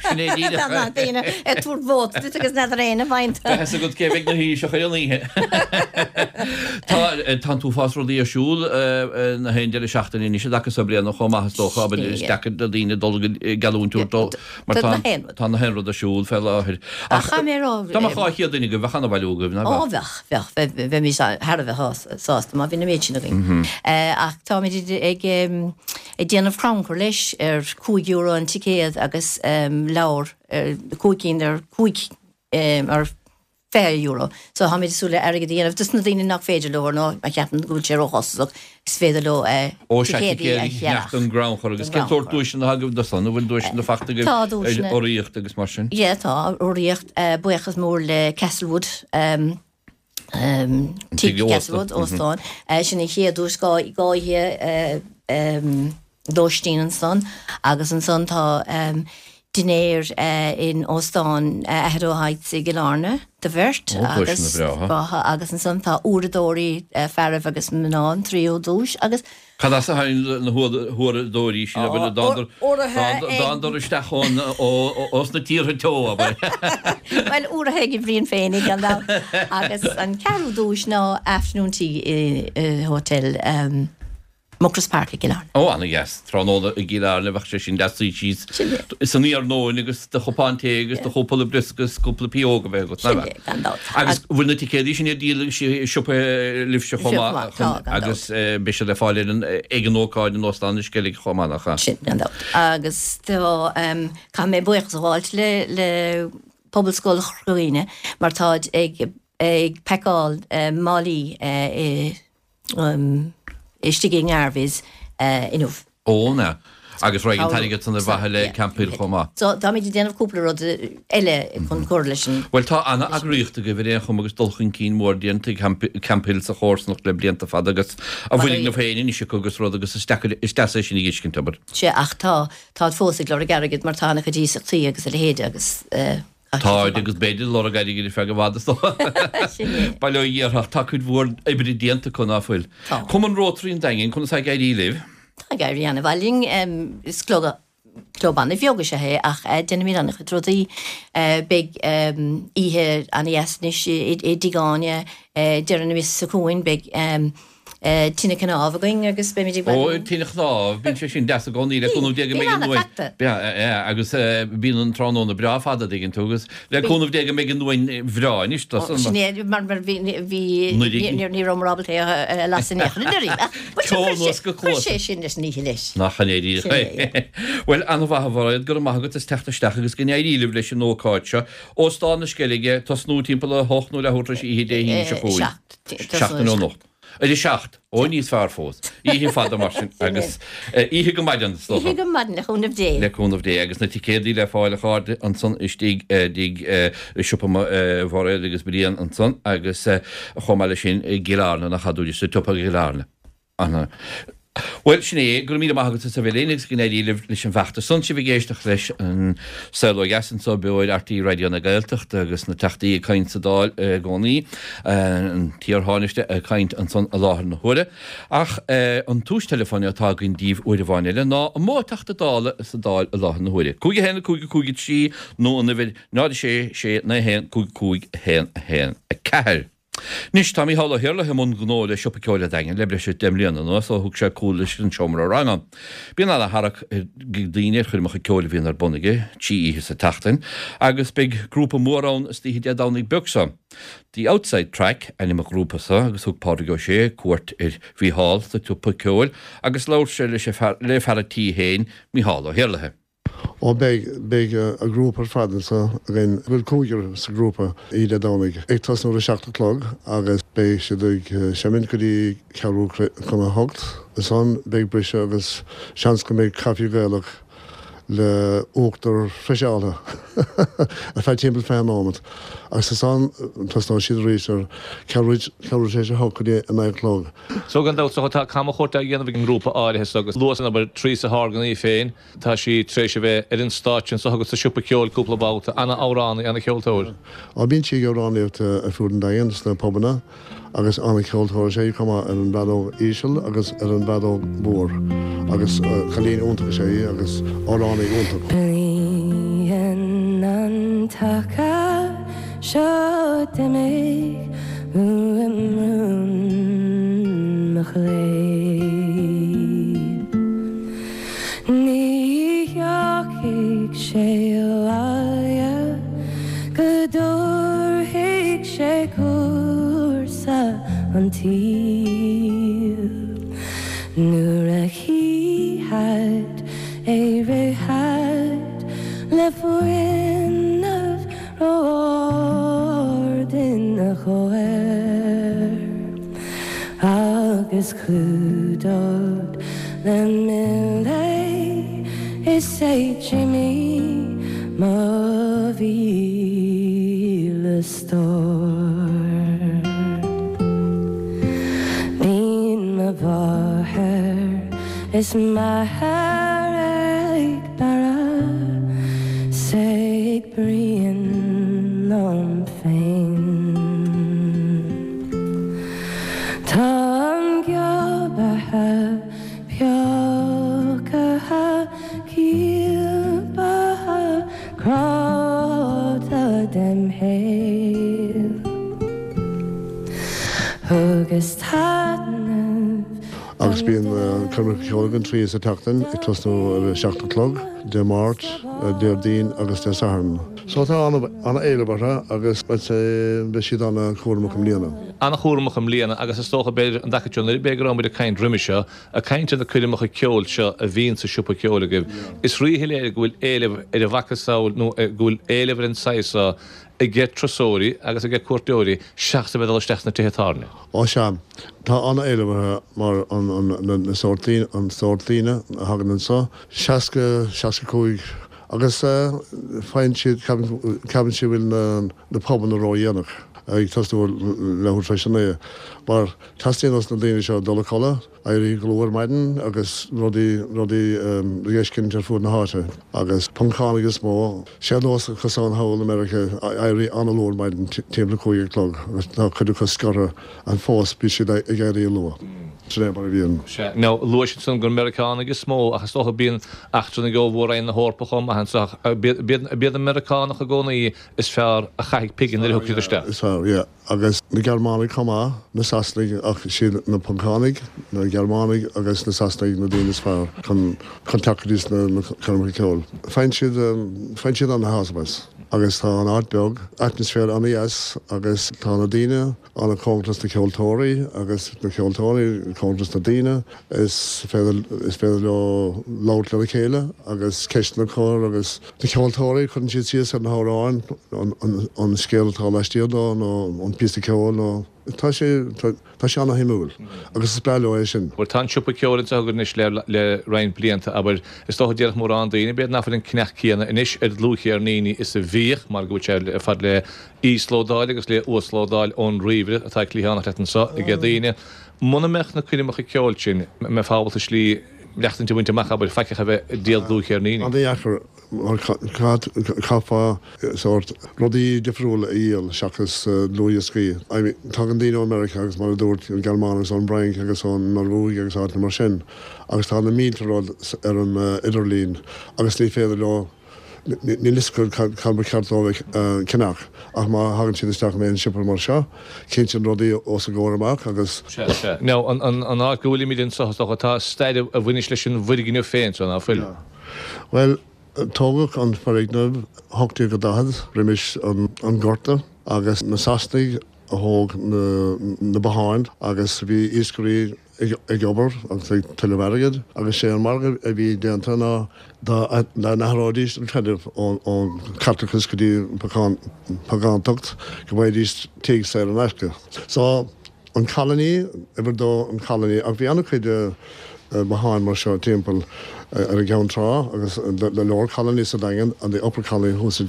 A: Sin é díreach.
D: Tá daoine ag tabhairt vóta duit agus n'fheadar éinne faoin.
A: Beidh a fhios agat cé bheidh ina Thaoiseach ar an oíche. Tá, tá an t-uafás rudaí ar siúl na haon deireadh seachtaine anois i dtaca so bliana chomh maith is dócha. Abair is deacair do dhaoine dul geallúint a thabhairt dó. Mar tá tá na haon rud ar siúl fé láthair.
D: Ach chaithfidh mé a rá.
A: Dá mbeadh 200 duine agaibh, bheadh an-bhailiú agaibh,
D: nach
A: mbeadh?
D: Ó bheadh, bheadh, bheimis thar a bheith sásta má bhíonn an méid sin againn. Ach táimid ag ag déanamh crannchur leis ar €5 an ticéad agus leabhar, 5 cinn ar 5 ar €20. So táimid ag súil le airgead a dhéanamh dos na daoine nach féidir leo nó a cheapann go bhfuil sé róchostasach, is féidir leo
A: Ó sea, ticéadaí a cheannach don gcrannchur. Agus cén sórt duaiseanna atá agaibh do san? An bhfuil duaiseanna fachta agaibh
D: Tá duaiseanna.
A: ar urraíocht agus mar sin?
D: Yeah, tá urraíocht. Buíochas mór le Castlewood,
A: Tigh
D: Castlewood, óstán. Sin an chéad duais, dhá oíche lóistín ansan agus ansan tá dinnéar in Óstán Aghadoe Heights i gCill Airne do bheirt
A: agus
D: agus ansan tá uaireadóirí fearaibh agus mná an tríú duais agus.
A: Cad as a tháinig na huaireadóirí sin abair dtándar isteach ón ós na tíortha teo
D: abair? Bhuel urraithe ag Brian féinig gan dabht agus an ceathrú duais ná afternoon tea i Hotel Muckross Park i gCill Airne.
A: Ó, ana-dheas. Tráthnóna i gCill Airne, bheadh sé sin deas suí síos san iarnóin agus do chupán tae agus do chúpla briosca is cúpla pióg a bheith agat,
D: nach ea? Gan dabht.
A: Agus bhfuil na ticéadaí sin ar díol i siopa libhse chomh maith?
D: Tá, gan
A: dabht. Agus beidh siad le fáil ar an, ag an ócáid in Óstán na Sceilge chomh maith, nach
D: ea? Sin, gan dabht. Agus tá, caithfidh mé buíochas a ghabháilt le, le Pobalscoil Chorca Dhuibhne mar táid ag, ag pacáil málaí i, istigh i nGarveys inniu.
A: Ó, an ea? Agus raghaidh an t-airgead san ar mhaithe le Camphill chomh maith.
D: So táimid ag déanamh cúpla rud eile chun cur leis an.
A: Bhuel tá ana-eagraíocht agaibh ar aon chuma agus dul chun cinn mór déanta ag Camphill sa chomharsanacht le blianta fada agus a bhfoirgneamh féin anois acu agus rud agus is deacair, is deas é sin a dh'fheiscint, abair.
D: Sea ach tá, táid fós ag lorg airgid mar tá ana-chuid iasachtaí agus a leithéide agus eh.
A: Táid agus beid ag lorg airgid ar feadh i bhfad is dócha.
D: Sin é.
A: Bail ó Dhia orthu ach tá cuid mhór oibre déanta acu ná fuil.
D: Tá.
A: Cumann Rotary an Daingin, conas tá ag éirí libh?
D: Tá ag éirí ana-mhaith linn. Is club, club ana-bheag is ea é ach déanaimid ana-chuid rudaí. Beidh oíche ana-dheas anois i dTigh Áine deireadh na míosa seo chugainn. Beidh tine cnámh againn agus beimid ag
A: Ó, tine chnámh, bíonn sé sin deas i gcónaí le cúnamh Dé go mbeidh an uain, agus bíonn an tráthnóna breá fada, an dtuigeann tú, agus le cúnamh Dé go mbeidh an uain bhreá anois do
D: san. Sin é, mar bhí, ní rabhamar ábalta é a lasadh in aon chor anuraidh.
A: Ceol anuas go
D: cluasa. Chuir sé sin leis an oíche leis.
A: Nach in é díreach é. Bhuel, an-mhaith a Mhairéad, go raibh maith agat as teacht isteach agus go n-éirí libh leis an ócáid seo. Óstán na Sceilge, tosnú timpeall a hocht nó leathuair tar éis oíche Dé hAoine seo chugainn. Seacht anocht. Ar a 7. Ó, níos fearr fós. Oíche fada mar sin agus oíche go maidin, is
D: dócha. Oíche go maidin, le cúnamh Dé.
A: Le cúnamh Dé. Agus na ticéadaí le fáil a chairde ansan istigh i dtigh siopa Mhairéad agus Brian ansan agus chomh maith leis sin i gCill Airne, nach ea, dúirt sa tsiopa i gCill Airne. Ana. Bhuel, sin é. Go raibh míle maith agat as a bheith linn agus go n-éirí libh leis an bhfeachtas san. Sibh ag éisteacht leis an Saol Ó Dheas anseo beo ar RTÉ Raidió na Gaeltachta agus na Teachtaí ag caint sa Dáil i gcónaí, an t-iar-Thánaiste ag caint ansan i láthair na huaire. Ach an tomhas teileafóin atá againn daoibh uair amháin eile ná an mó Teachta Dála sa Dáil i láthair na huaire. 5 1 5 5 3 nó an uimhir 0 6 6 9 1 5 5 1 1 4. Anois, tá Mícheál Ó hIarlaithe i mbun gnó le Siopa Ceoil an Daingin le breis is 10 mbliana anuas ó thug sé cúl leis an seomra ranga. Bíonn ana-tharrac ag daoine ar choirmeacha ceoil a bhíonn ar bun aige, 3 oíche sa tseachtain, agus beidh grúpa mór ann istoíche Dé Domhnaigh beag seo. The Outside Track ainm an ghrúpa seo agus thug Pádraig Ó Sé cuairt ar Mhícheál sa tsiopa ceoil agus labhair sé leis le fear an tí féin, Mícheál Ó hIarlaithe.
E: Ó beidh, beidh an grúpa ar fad anseo againn, bhfuil cúigear sa ghrúpa oíche Dé Domhnaigh, ag tosnú ar a seacht a chlog agus beidh siad ag seimint go dtí ceathrú chun a hocht. Ansan beidh briseadh agus seans go mbeidh caife Gaelach le uachtar friseáltha ar feadh timpeall 20 nóimeat agus ansan tosnóidh siad arís ar ceathrú ceathrú tar éis a hocht go dtí a naoi a chlog.
F: So gan dabht tá camchuairt á dhéanamh ag an ngrúpa áirithe so agus luas an obair Teresa Horgan í féin. Tá sí tar éis a bheith ar an stáitse anseo agus sa siopa ceoil cúpla babhta. Ana-amhránaí, ana-cheoltóir.
E: Á, bíonn sí ag amhránaíocht ar fuaid an Daingin sna pubanna agus ana-cheoltóir is ea í chomh maith ar an bhfeadóg íseal agus ar an bhfeadóg mhór agus cailín iontach is ea í agus amhránaí iontach.
G: Bliain an taca seo d'imigh uaim rún mo chléibh. Ní thiocfaidh sé abhaile go dtabharfaidh sé cúrsa an tsaoil. Nuair a chífead é rithfead le fuinneamh ró-ard ina chomhair agus clúdód le mil é is é Jimí mo mhíle stór. Bíonn mo mháthair is m'athair ag bearradh 's ag bruíon liom féin. Táim giobaithe, peocaithe, ciapaithe, cráite dem shaol. Thugas taitneamh
E: Agus bíonn coirmeacha ceoil againn 3 sa tseachtain, ag tosnú ar a seacht a chlog, Dé Máirt, Déardaoin agus Dé Sathairn. So tá an-éileamh orthu agus I'd say beidh siad an-chúramach i mbliana.
F: An-chúramach i mbliana agus is dócha b'fhéidir an dtaca seo nuair b'fhéidir go raibh muid ag caint roimhe seo, ag caint ar na coirmeacha ceoil seo a bhíonn sa siopa ceoil agaibh, is ríshoiléir go bhfuil éileamh ar a mhacasamhail nó go bhfuil éileamh ar an saghas seo. Aige turasóirí agus aige cuairteoirí seachas a bheith ag dul isteach sna tithe tábhairne.
E: Ó sea, tá an-éileamh orthu mar an sórt daoine, an sórt daoine a thagann anseo, 60, 65 agus faigheann siad, ceapann siad go bhfuil na pubanna ródhéanach, ag tosnú leathuair tar éis a naoi, mar teastaíonn ós na daoine seo dul a codladh. Éirí go luath ar maidin agus rudaí, rudaí le feiscint ar fuaid na háite. Agus Poncánaigh is mó. Sé nós acu san thall i Meiriceá éirí an-luath ar maidin, timpeall a 5 a chlog, agus tá cuid acu scortha and fós bíonn siad ag éirí luath. Sin é mar a bhíonn.
F: Sea. Now, luais ansan gur Meiriceánaigh is mó, ach is dócha bíonn eachtrannaigh ó Mhór-Roinn na hEorpa chomh maith anso, ach b'iad, b'iad an Meiriceánach i gcónaí is fearr a chaithfidh pingin nuair a thiocfaidh siad isteach.
E: Is fearr, yeah. Agus na Gearmánaigh chomh maith, na Sasanaigh, ach siad na Poncánaigh, na Gearmánaigh agus na Sasanaigh na daoine is fearr chun chun teacht go dtí na coirmeacha ceoil. Faigheann siad, faigheann siad ana-shásamh as. Agus tá an áit beag, atmaisféar ana-dheas agus tá na daoine ana-chóngarach dos na ceoltóirí agus na ceoltóirí cóngarach dos na daoine. Is féidir, is féidir leo labhairt lena chéile agus ceisteanna a chur agus. Na ceoltóirí, cuireann siad síos ar na hamhráin, an scéal atá laistiar dó nó an píosa ceoil nó. Tá sé, tá sé ana-shuimiúil agus is breá leo é sin.
F: Bhuel, tá an siopa ceoil anseo againn anois le, le roinnt blianta, abair. Is dócha déarfadh mórán daoine, b'fhéidir nach bhfuil an cneach céanna anois ar dhlúthcheirníní is a bhíodh, mar go bhfuil sé ar fad le íoslódáil agus le uaslódáil ón ríomhaire atá cliathánach leat anseo ag daoine. Muna mbeadh na coirmeacha ceoil sin, an mbeifeá ábalta slí maireachtaint a bhaint amach, abair, faic ach a bheith ag díol dlúthcheirníní.
E: An-dheacair mar chaithfeá sórt rudaí difriúla a dhíol seachas dlúthdhioscaí. I mean, tagann daoine ó Meiriceá agus mar a dúirt, an Ghearmáin agus ón bhFrainc agus ón Norbhuaidh agus áiteanna mar sin agus tá na mílte rud ar an idirlíon agus ní féidir leo Níl fhios acu cad ba cheart dóibh a cheannach ach má thagann siad isteach in aon siopa mar seo, tchíonn siad rudaí os a gcomhair amach agus.
F: Sea, sea. Now, an áit go bhfuilimid anseo, is dócha, tá stair a bhaineas leis an bhfoirgneamh féin seo, ná fuil?
E: Bhuel, tógadh an foirgneamh 1840 roimis an Gorta agus na Sasanaigh a thóg na botháin agus bhí iascairí ag obair agus ag tuilleamh airgid agus sé an margadh a bhí déanta ná dá n-athróidís an creideamh ón Chaitliceachas go dtí an Phágántacht go bhfaighidís tigh saor in aisce. So, an Colony, uimhir dó an Colony ach bhí an-chuid botháin mar seo timpeall ar an gCeann Trá agus the Lower Colony sa Daingean and the Upper Colony thuas i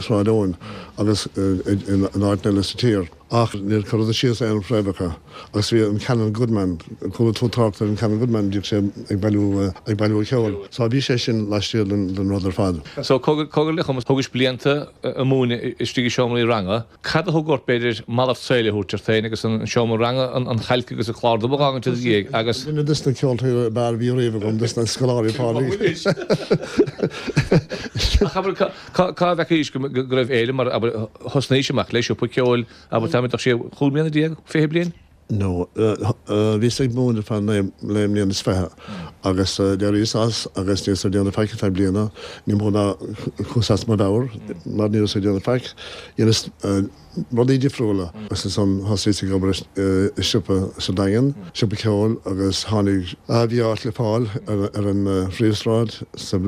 E: Sráid Eoin agus in áiteanna eile sa tír. Ach níor cuireadh síos aon fhréamhacha agus bhí an Canon Goodman, chuala tú trácht ar an Canon Goodman, bhíodh sé ag bailiú, ag bailiú ceoil. So bhí sé sin laistiar den, den rud ar fad.
F: So cogar le chumas, thugais blianta ag múineadh istigh i seomraí ranga. Cad a thug ort, b'fhéidir, malairt saoil a thabhairt ort féin agus an seomra ranga, an chailc agus an clár dubh a dh'fhágaint i do dhiaidh agus.
E: Duine des na ceoltóirí ab fhearr a bhí riamh agam, des na scoláirí, Pádraig.
F: Ach abair, Cá bhfeicís go raibh éileamh mar, abair, thosnaís amach le siopa ceoil, abair, táimid ach sé chúig mbliana déag, 20 bliain?
E: No, bhíos ag múineadh ar feadh naoi mbliana is fiche agus d'éiríos as agus ní rabhas ag déanamh faic ar feadh bliana, ní mó ná chuas as mo mheabhair mar ní rabhas ag déanamh faic. Dheineas rudaí difriúla agus ansan thosaíos ag obair i siopa sa Daingean, siopa ceoil agus tháinig, bhí áit le fáil ar an phríomhshráid sa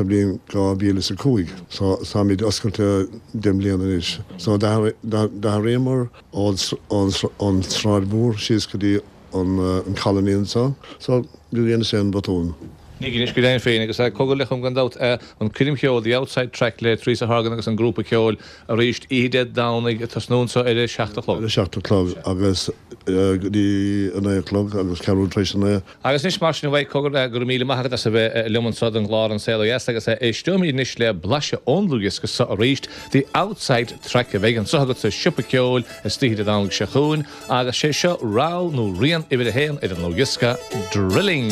E: bhliain 2005 so táimid oscailte 10 mbliana anois. So d'athraíomar ón tSráid Mhór síos go dtí an Colony anseo so do dheineas aon bhotún.
F: Ní dheinis go deimhin féin agus cogar le chum gan dabht an coirm cheoil The Outside Track le Teresa Horgan agus an grúpa ceoil arís oíche Dé Domhnaigh ag tosnú anseo ar a 7 a chlog.
E: Ar a 7 a chlog agus go dtí a 9 a chlog agus ceathrú tar éis a 9.
F: Agus anois mar sin a Mhaidhc cogar go raibh míle maith agat as a bheith liom anseo don gclár An Saol Ó Dheas agus éisteoimid anois le blaiseadh ón dlúthdhiosca seo arís The Outside Track a bheidh anseo agat sa Siopa Ceoil istoíche Dé Domhnaigh seo chugainn. Agus sé seo rogha nó rian uimhir a haon ar an ndlúthdhiosca, Drilling.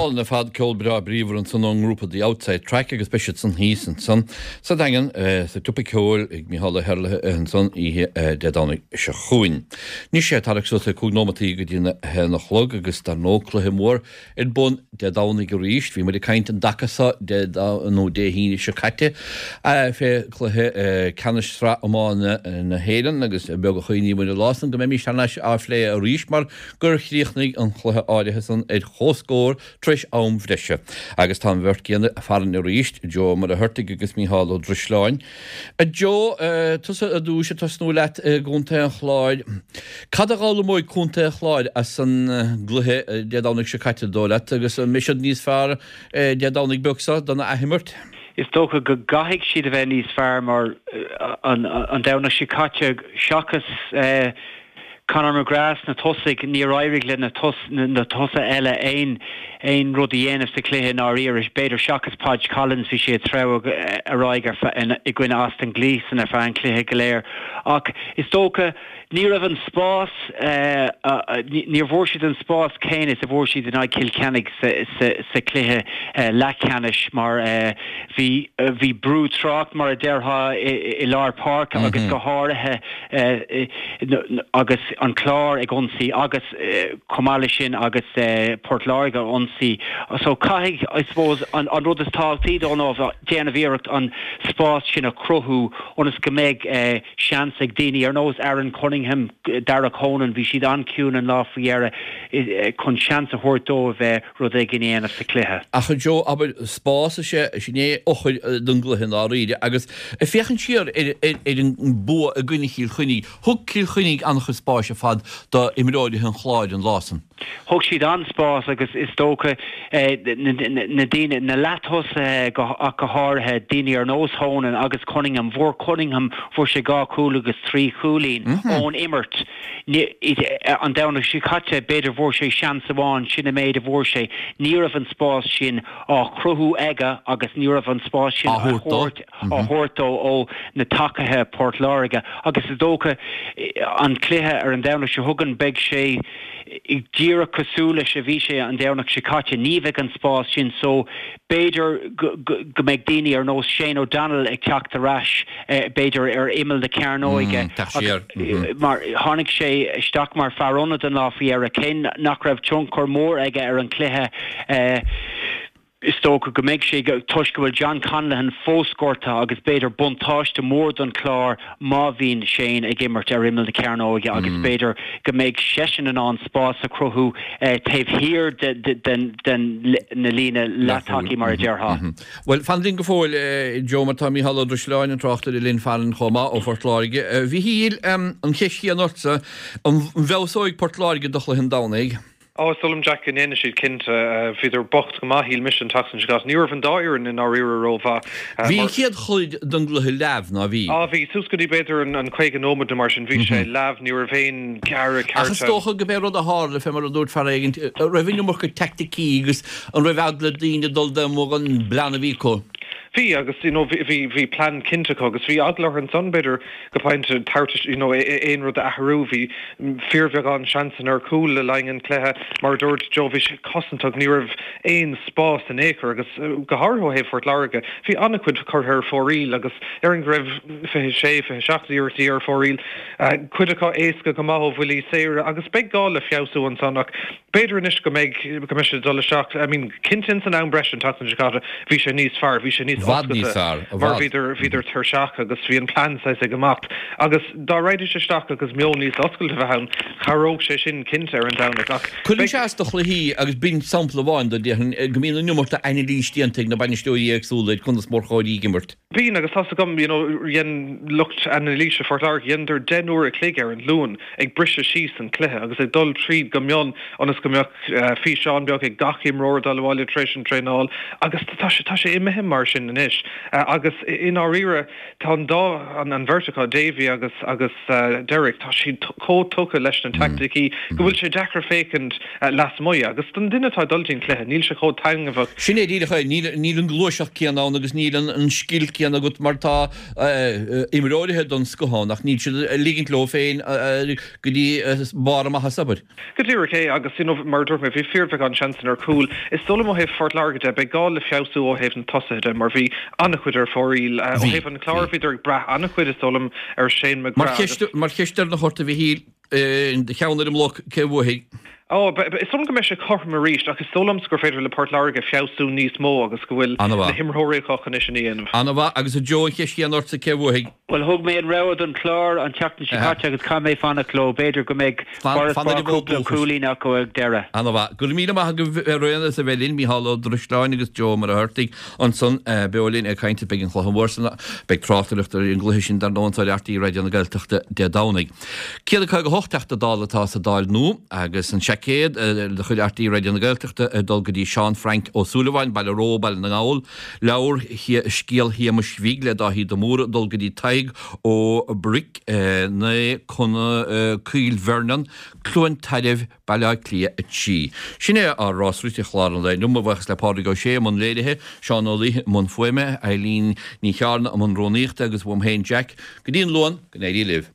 A: Álainn ar fad, ceol breá bríomhar ansan ón ngrúpa The Outside Track agus beidh siad san thíos ansan sa Daingean sa tSiopa Ceoil ag Micheál Ó hÉallaithe ansan oíche Dé Domhnaigh seo chugainn. Anois é tarrac suas le 5 nóimeataí go dtí a haon a chlog agus dar ndóigh cluiche mór ar bun Dé Domhnaigh arís. Bhí muid ag caint an dtaca seo Dé nó Dé hAoine seo caite fé chluiche ceannais sraith iomána na hÉireann agus beag a chuimhnigh muid an lá san go mbeimis thar n-ais á phlé arís mar gur chríochnaigh an cluiche áirithe san ar chomhscór tar éis am bhreise. Agus tá an bheirt gcéanna farainn arís, Joe Ó Muircheartaigh agus Mícheál Ó Drisleáin. A Joe, tusa ar dtúis, ag tosnú leat i gContae an Chláir. Cad a dh'fhoghlaimeoidh Contae an Chláir as an gcluiche Dé Domhnaigh seo caite, dóigh leat, agus an mbeidh siad níos fearr Dé Domhnaigh beag seo don athimirt?
H: Is dócha go gcaithfidh siad a bheith níos fearr mar an Domhnach seo caite seachas Conor McGrath sna tosaigh, níor éirigh le na tosaithe eile aon aon rud a dhéanamh sa chluiche i ndáiríre. B'fhéidir seachas Podge Collins, bhí sé ag treabhadh ar aghaidh i gcoinne Austin Gleeson ar feadh an chluiche go léir. Ach is dócha ní raibh an spás, níor bhfuair siad an spás céanna is a bhfuair siad in aghaidh Chill Chainnigh sa chluiche leathcheannais mar bhí bhí brú trácht mar a déarfá i lár páirce agus go háirithe agus an Clár ag ionsaí agus chomh maith leis sin agus Port Láirge ag ionsaí. So caithfidh, I suppose, an rud is tábhachtaí dó ná déanamh iarracht an spás sin a chruthú ionas go mbeidh seans ag daoine ar nós Aaron Cunningham, Darragh Honan, bhí siad an-chiúin an lá faoi dheireadh, chun seans a thabhairt dóibh rud éigin a dhéanamh sa chluiche.
A: Ach a Joe, abair, spás is ea, sin é eochair don gcluiche i ndáiríre agus ag féachaint siar ar an bua i gcoinne Chill Chainnigh, thug Cill Chainnigh an-chuid spáis ar fad do imreoirithe an Chláir an lá san.
H: Thug siad an-spás agus is dócha na daoine, na leath-tosaithe ach go háirithe, daoine ar nós Honan agus Cunningham, bhfuair Cunningham, fuair sé dhá chúl agus trí chúilín ón imirt. An Domhnach seo caite, b'fhéidir bhfuair sé seans amháin, sin an méid a bhfuair sé. Ní raibh an spás sin á chruthú aige agus ní raibh an spás sin á thabhairt dó ó na tacaithe Port Láirge. Agus is dócha an cluiche ar an Domhnach seo chugainn, beidh sé díreach cosúil leis a bhí sé an Domhnach seo caite. Ní bheidh an spás sin so b'fhéidir go mbeidh daoine ar nós Shane O'Donnell ag teacht ar ais b'fhéidir ar imeall na cearnóige mar tháinig sé isteach mar fear ionaid an lá faoi dheireadh, cé nach raibh tionchar mór aige ar an chluiche. Is dócha go mbeidh sé toisc go bhfuil John Conlon fós gortaithe agus b'fhéidir buntáiste mór don Chlár má bhíonn Shane ag imirt ar imeall na cearnóige agus b'fhéidir go mbeidh seisean in ann spás a chruthú taobh thiar den na líne leath-tacaí mar a déarfá.
A: Bhuel, fan linn go fóill, Joe, mar tá Mícheál Ó Drisleáin, an tráchtaire linn farainn chomh maith ó Phort Láirge. A Mhíchíl, an cheist chéanna ortsa, an bhfeabhsóidh Port Láirge do chluiche an Domhnaigh?
I: Ó, is dóigh liom, Jack, go ndéanfaidh siad cinnte. Bhíodar bocht go maith, shíl mise, an tseachtain seo caite. Ní raibh an dá fhoireann i ndáiríre rómhaith.
A: Bhí an chéad chuid den gcluiche leamh, ná bhí?
I: Á, bhí. Suas go dtí b'fhéidir an 50 nóiméad nó mar sin, bhí sé leamh. Ní raibh aon ghearradh
A: ceart ann. Ach is dócha go b'é rud a tharla, fé mar a dúirt fear éigin, raibh an iomarca teaicticí agus An raibh eagla ar daoine dul amuigh an bplean a bhí acu?
I: Bhí, agus you know bhí, bhí plean cinnte acu agus bhí eagla orthu ansan b'fhéidir go pointe tabhairt you know aon rud a athrú. Bhí fíorbheagán seansanna ar chúl le linn an chluiche. Mar a dúirt Joe, bhí sé cosantach, ní raibh aon spás in aon chor agus go háirithe ó thaobh Phort Láirge, bhí an-chuid curtha ar fóraoil agus déarfainn go raibh 26, 27 iarrachtaí ar fóraoil, cuid acu éasca go maith ó bhuillí saora agus beidh gá le feabhsú ansan ach B'fhéidir anois go mbeidh, go mbeidh siad ag dul isteach, I mean cinnte ins an am breise an tseachtain seo caite bhí sé níos fearr, bhí sé níos oscailte mar bhíodar, bhíodar tuirseach agus bhí an plean saghas ag imeacht agus dá raghaidís isteach agus meon níos oscailte a bheith ann, chabhródh sé sin cinnte ar an Domhnach ach
A: Cuireann sé as do chluichí agus b'in sampla amháin de, déarfainn, go mbíonn an iomarca anailís déanta ag na bainisteoirí éagsúla ar conas mórchóir ag imirt.
I: Bíonn, agus tá's agam, you know, dhein lucht anailíse Phort Láirge, dheineadar 10 n-uair a chloig ar an Luan ag briseadh síos an cluiche agus ag dul tríd go mion ionas go mbeadh físeán beag ag gach imreoir ag dul abhaile tar éis an traenáil agus tá sé, tá sé imithe mar sin anois. Agus i ndáiríre, tá an dá, an bheirt acu, Davy agus, agus Derek, tá siad chomh tugtha leis na teaicticí go bhfuil sé deacair féachaint lasmuigh agus don duine atá ag dul dtí an cluiche, níl sé chomh taitneamhach.
A: Sin é díreach é, níl an gluaiseacht céanna ann agus níl an scil céanna. céanna agat mar tá imreoirithe den scoth ann ach níl siad ag ligint leo féin go dtí barr a maitheasa, abair.
I: Go díreach é agus, you know, mar a dúirt mé, bhí fíorbheagán seansanna ar chúl. Is dóigh liom ó thaobh Phort Láirge de, beidh gá le feabhsú ó thaobh na tosaithe de mar bhí an-chuid ar fóraoil. Ó thaobh an Chláir, bhíodar ag brath an-chuid, is dóigh liom, ar Shane
A: McGrath agus. Mar cheist deireanach ort, a Mhichíl, do cheann ar an mbloc, cé a bhuafaidh?
I: Ó, is dóigh liom go mbeidh sé cothrom arís ach is dóigh liomsa gur féidir le Port Láirge feabhsú níos mó agus go bhfuil na himreoirí acu chun é sin a dhéanamh.
A: An-mhaith. Agus a Joe, an cheist chéanna ortsa, cé a bhuafaidh?
H: Bhuel, thug mé an rogha don Chlár an tseachtain seo caite agus caithfidh mé fanacht leo. B'fhéidir go mbeidh
A: farasbarr
H: cúpla cúilín acu ag deireadh.
A: Ana-mhaith. Go raibh míle maith agaibh araon as a bheith linn, Mícheál Ó Drisleáin agus Joe Ó Muircheartaigh ansan beo linn ag caint. Beidh an cluiche mór san, beidh tráchtaireacht ar an gcluiche sin dar ndóigh anso ar RTÉ Raidió na Gaeltachta Dé Domhnaigh. 158 Teachta Dála atá sa Dáil nua agus an seaicéad de chuid RTÉ Raidió na Gaeltachta ag dul go dtí Seán Frank Ó Súilleabháin, Baile Ró, Baile na nGall. Leabhar Scéal Shéamais Bhig le Dáithí de Mórdha ag dul go dtí Tadhg Ó Bric, 9 Coill Bhearnan, Cluain Tairbh, Baile Átha Cliath 3. Sin é ár rás rite chlár an lae inniu. Mo bhuíochas le Pádraig Ó Sé i mbun léirithe, Seán Ó Laoithe i mbun fuaime, Eileen Ní Chearna i mbun rúnaíochta agus uaim féin Jack. Go dtí an Luan, go n-éirí libh.